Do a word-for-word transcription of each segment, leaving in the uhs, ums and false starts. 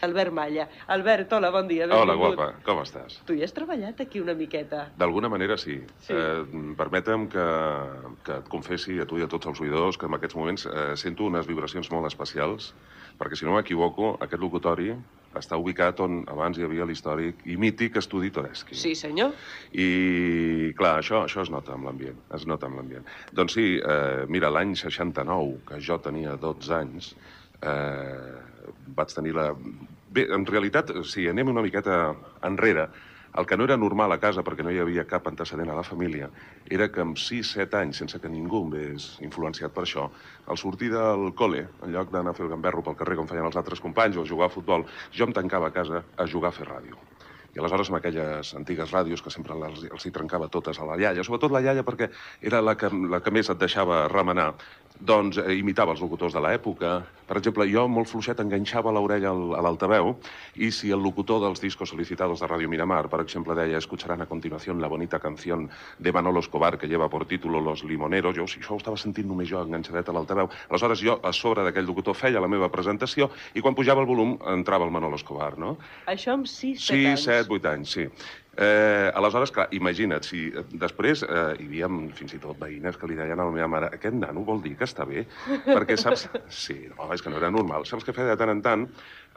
Albert Malla. Albert, hola, bon dia, benvingut. Hola, guapa, com estàs? Tu hi has treballat aquí una miqueta? D'alguna manera sí. sí. Eh, permetem que, que et confessi a tu i a tots els oïdors que en aquests moments eh, sento unes vibracions molt especials, perquè si no m'equivoco, aquest locutori està ubicat on abans hi havia l'històric i mític estudi Toreschi. Sí, senyor. I, clar, això, això es nota amb l'ambient, es nota amb l'ambient. Doncs sí, eh, mira, l'any seixanta-nou, que jo tenia dotze anys, eh, vaig tenir la... Bé, en realitat, si anem una miqueta enrere, el que no era normal a casa, perquè no hi havia cap antecedent a la família, era que amb sis set anys, sense que ningú em vés influenciat per això, al sortir del col·le, en lloc d'anar a fer el gamberro pel carrer com feien els altres companys o a jugar a futbol, jo em tancava a casa a jugar a fer ràdio. I aleshores amb aquelles antigues ràdios que sempre els, els hi trencava totes a la iaia, sobretot la iaia perquè era la que, la que més et deixava remenar, doncs eh, imitava els locutors de l'època. Per exemple, jo molt fluixet enganxava l'orella a l'altaveu i si el locutor dels discos solicitados de Radio Miramar, per exemple, deia «Escucharán a continuación la bonita canción de Manolo Escobar que lleva por título Los Limoneros», jo, si això ho estava sentint només jo enganxadet a l'altaveu, aleshores jo a sobre d'aquell locutor feia la meva presentació i quan pujava el volum entrava el Manolo Escobar, no? Això amb sis set anys. sis set vuit anys, sí. Eh, aleshores, clar, imagina't, si després eh, hi havia fins i tot veïnes que li deien a la meva mare «Aquest nano vol dir que està bé?» Perquè, saps... Sí, no, és que no era normal. Saps què feia de tant en tant?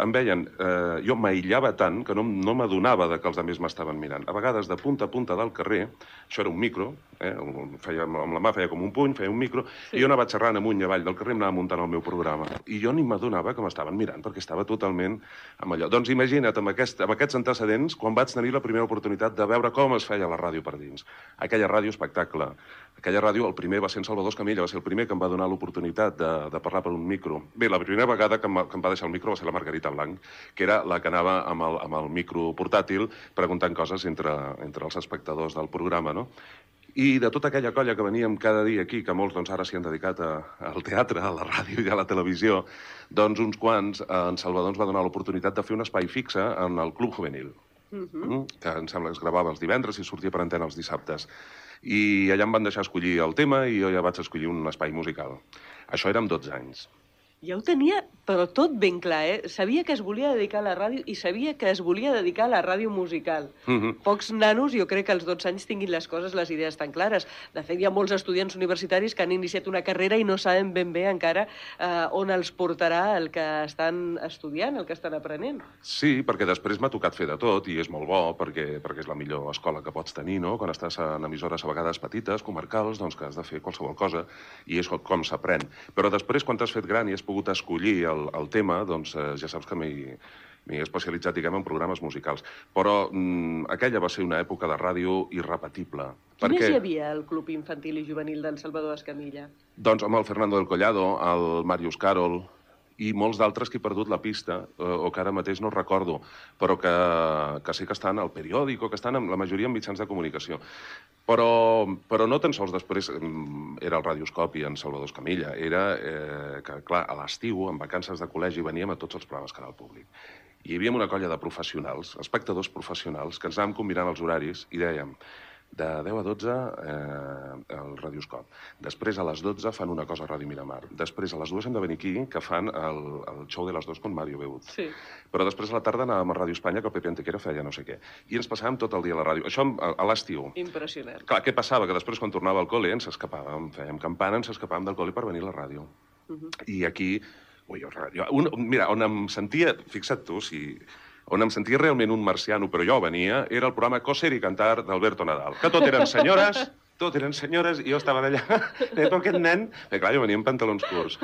Em veien... Eh, jo m'aïllava tant que no, no m'adonava que els altres m'estaven mirant. A vegades, de punta a punta del carrer, això era un micro, eh, feia, amb la mà feia com un puny, feia un micro, sí. I jo anava xerrant amunt i avall del carrer, em anava muntant el meu programa. I jo ni m'adonava que m'estaven mirant, perquè estava totalment amb allò. Doncs imagina't, amb, aquest, amb aquests antecedents, quan vaig tenir la primera oportunitat de veure com es feia la ràdio per dins. Aquella ràdio espectacle. Aquella ràdio, el primer va ser en Salvador Escamilla, va ser el primer que em va donar l'oportunitat de, de parlar per un micro. Bé, la primera vegada que em, que em va deixar el micro va ser la Margarita Blanc, que era la que anava amb el, amb el micro portàtil preguntant coses entre, entre els espectadors del programa, no? I de tota aquella colla que veníem cada dia aquí, que molts doncs, ara s'hi han dedicat a, al teatre, a la ràdio i a la televisió, doncs uns quants, en Salvador ens va donar l'oportunitat de fer un espai fixe en el Club Juvenil, uh -huh. que em sembla que es gravava els divendres i sortia per antena els dissabtes. I allà em van deixar escollir el tema i jo ja vaig escollir un espai musical. Això era amb dotze anys. Ja ho tenia, però tot ben clar, eh? Sabia que es volia dedicar a la ràdio i sabia que es volia dedicar a la ràdio musical. Uh-huh. Pocs nanos, jo crec que als dotze anys tinguin les coses, les idees tan clares. De fet, hi ha molts estudiants universitaris que han iniciat una carrera i no saben ben bé encara eh, on els portarà el que estan estudiant, el que estan aprenent. Sí, perquè després m'ha tocat fer de tot i és molt bo perquè, perquè és la millor escola que pots tenir, no? Quan estàs en emissores a vegades petites, comarcals, doncs que has de fer qualsevol cosa i és com s'aprèn. Però després, quan t'has fet gran i has pogut escollir el, el tema, doncs eh, ja saps que m'he especialitzat, diguem, en programes musicals. Però mm, aquella va ser una època de ràdio irrepetible. Qui més hi havia al Club Infantil i Juvenil d'en Salvador Escamilla? Doncs amb el Fernando del Collado, el Màrius Carol i molts d'altres que he perdut la pista, eh, o que ara mateix no recordo, però que, que sé que estan al periòdic o que estan en la majoria en mitjans de comunicació. Però, però no tan sols després era el Radioscopi en Salvador Escamilla, era eh, que, clar, a l'estiu, en vacances de col·legi, veníem a tots els programes Canal Públic. I hi havia una colla de professionals, espectadors professionals, que ens anàvem combinant els horaris i dèiem de deu a dotze eh, el Radioscop. Després a les dotze fan una cosa a Ràdio Miramar. Després a les dues hem de venir aquí, que fan el, el show de les dos con Mario Beut. Sí. Però després a la tarda anàvem a Ràdio Espanya, que el Pepe Antequera feia no sé què. I ens passàvem tot el dia a la ràdio. Això a, a l'estiu. Impressionant. Clar, què passava? Que després quan tornava al col·le ens escapàvem, fèiem campana, ens escapàvem del col·le per venir a la ràdio. Uh -huh. I aquí... Ui, jo, un, mira, on em sentia... Fixa't tu, si... on em sentia realment un marciano, però jo venia, era el programa Coser i Cantar d'Alberto Nadal, que tot eren senyores, tot eren senyores, i jo estava allà, però aquest nen... Bé, clar, jo venia en pantalons curts.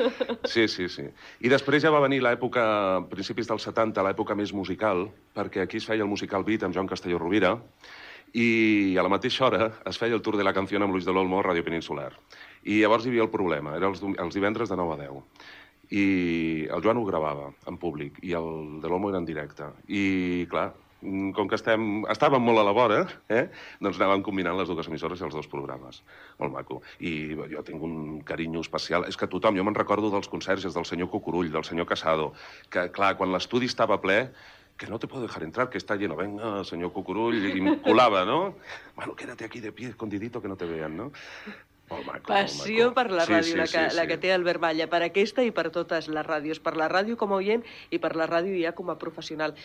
Sí, sí, sí. I després ja va venir l'època, principis dels setanta, l'època més musical, perquè aquí es feia el musical Beat amb Joan Castelló Rovira, i a la mateixa hora es feia el Tour de la Canción amb Luis de l'Olmo a Ràdio Peninsular. I llavors hi havia el problema, era els, els divendres de nou a deu. I el Joan ho gravava en públic i el de l'Olmo era en directe. I, clar, com que estem, estàvem molt a la vora, eh, doncs anàvem combinant les dues emissores i els dos programes. Molt maco. I jo tinc un carinyo especial. És que tothom, jo me'n recordo dels conserges, del senyor Cucurull, del senyor Casado, que, clar, quan l'estudi estava ple, que no te puedo dejar entrar, que está lleno. Venga, señor Cucurull, i em colava, no? Bueno, quédate aquí de pie, escondidito, que no te vean, no? Molt maco, Passió molt maco. per la Sí, ràdio, sí, la, que, sí, la sí. que té Albert Malla, per aquesta i per totes les ràdios, per la ràdio com a oient i per la ràdio ja com a professional.